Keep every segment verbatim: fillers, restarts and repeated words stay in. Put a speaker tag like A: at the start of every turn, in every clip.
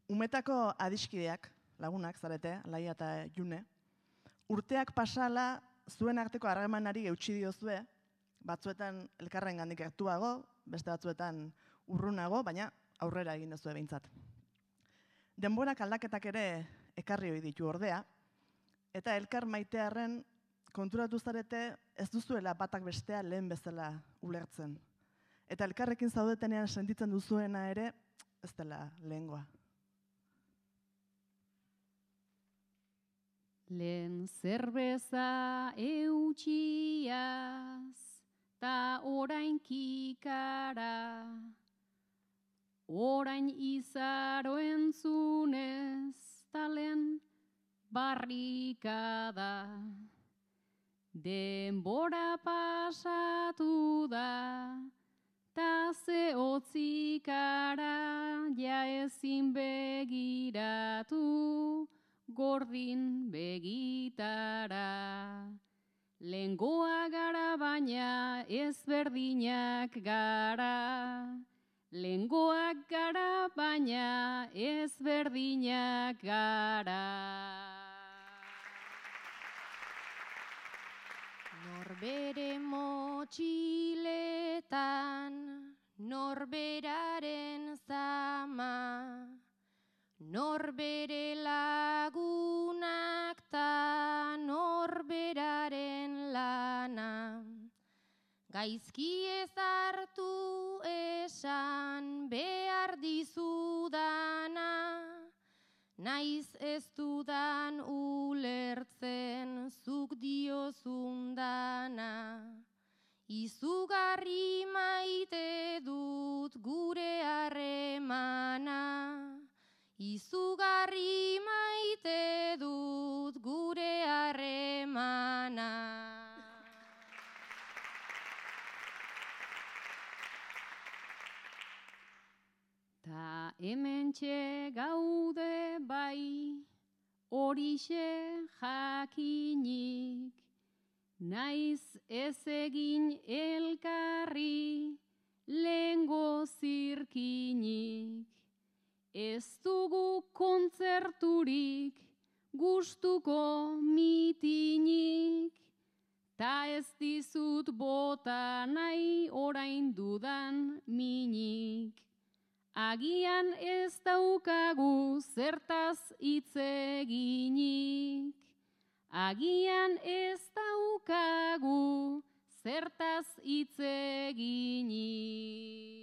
A: Umetako adiskideak, lagunak zarete, Laia eta June, urteak pasala zuen arteko harremanari eutsi diozue, batzuetan elkarren gandik gertuago, beste batzuetan urrunago, baina aurrera egin duzue behintzat. Denborak aldaketak ere ekarri ohi ditu ordea, eta elkar maitearren konturatu zarete ez duzuela batak bestea lehen bezala ulertzen. Eta elkarrekin zaudetenean sentitzen duzuena ere ez dela lehengoa.
B: Lehen zerbeza eutxiaz, ta orain kikara, orain izaro entzunez, ta lehen barrikada. Denbora pasatu da, ta ze hotzikara, ja ezin begiratu, gordin begitara. Lehengoa gara baina ezberdinak gara. Lehengoak gara baina ezberdinak gara.
C: Norbere motxiletan, norberaren zama, norbere lagunak ta norberaren lana. Gaizki ez hartu esan behar dizudana, naiz ez dudan ulertzen zuk diozundana. Izugarri maite dut gure harremana, izugarri maite dut gure harremana.
B: Ta hementxe gaude bai, horixe jakinik, naiz ez egin elkarri lehengo zirkinik. Ez dugu kontzerturik, gustuko mitinik, ta ez dizut bota nahi orain dudan minik. Agian ez daukagu zertaz hitz eginik, agian ez daukagu zertaz hitz eginik.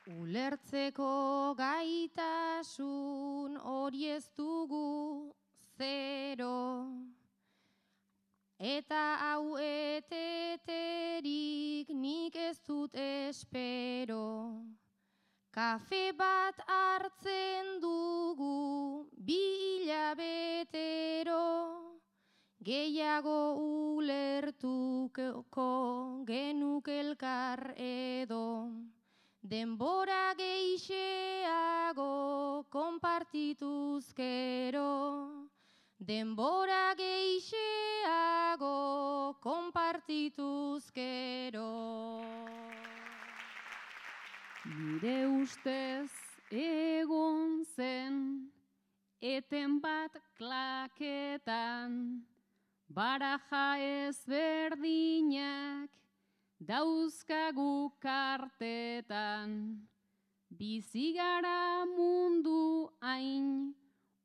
C: Ulertzeko gaitasun hori ez dugu zero, eta hau eteterik nik ez dut espero. Kafe bat hartzen dugu bi hilabetero, gehiago ulertuko genuke elkar edo. Denbora gehixeago konpartituzkero, denbora gehixeago konpartituzkero.
B: Nire ustez egon zen, eten bat klaketan, baraja ezberdinak, dauzkagu kartetan. Bizi gara mundu hain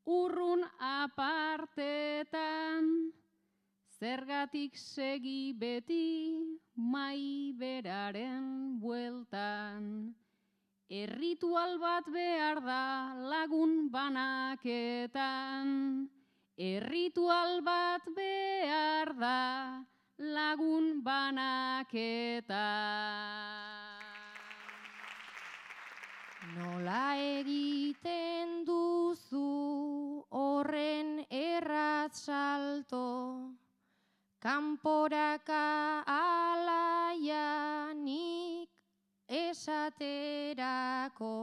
B: urrun apartetan, zergatik segi beti mai beraren bueltan. Erritual bat behar da lagun banaketan, erritual bat behar da lagun banaketan.
C: Nola egiten duzu horren erratz salto, kanporaka alaianik esaterako.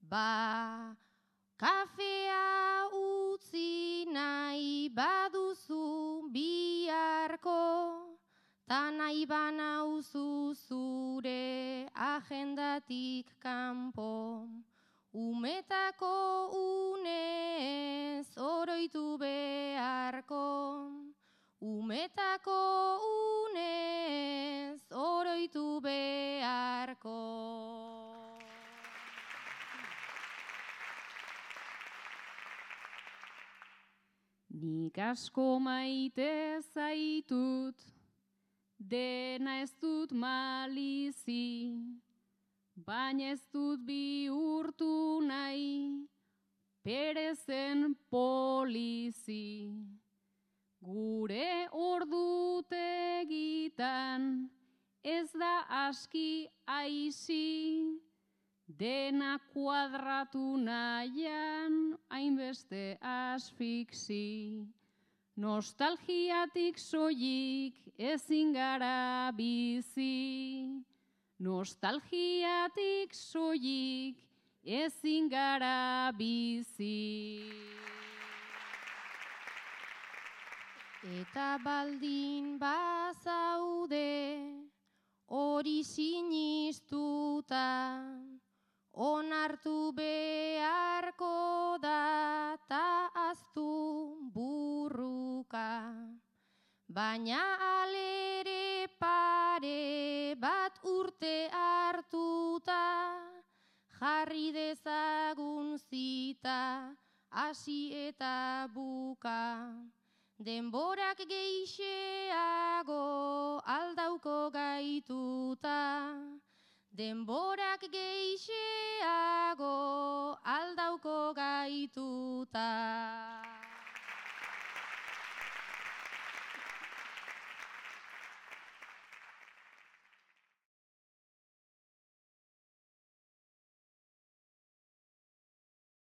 C: Ba, kafea utzi nahi baduzu biharko, ta nahi banauzu zure agendatik kanpo. Umetako unez oroitu beharko, umetako unez oroitu beharko.
B: Nik asko maite zaitut, dena ez dut malizi, baina ez dut bihurtu nahi, perezen polizi. Gure ordutegitan ez da aski aisi, dena kuadratu nahian hainbeste asfixi. Nostalgiatik soilik ezin gara bizi, nostalgiatik soilik ezin gara bizi.
C: Eta baldin bazaude hori sinistuta, onartu beharko da ta aztu burruka. Baina alere pare bat urte hartuta, jarri dezagun zita, hasi eta buka. Denborak geixeago aldauko gaituta, denborak geixeago aldauko gaituta.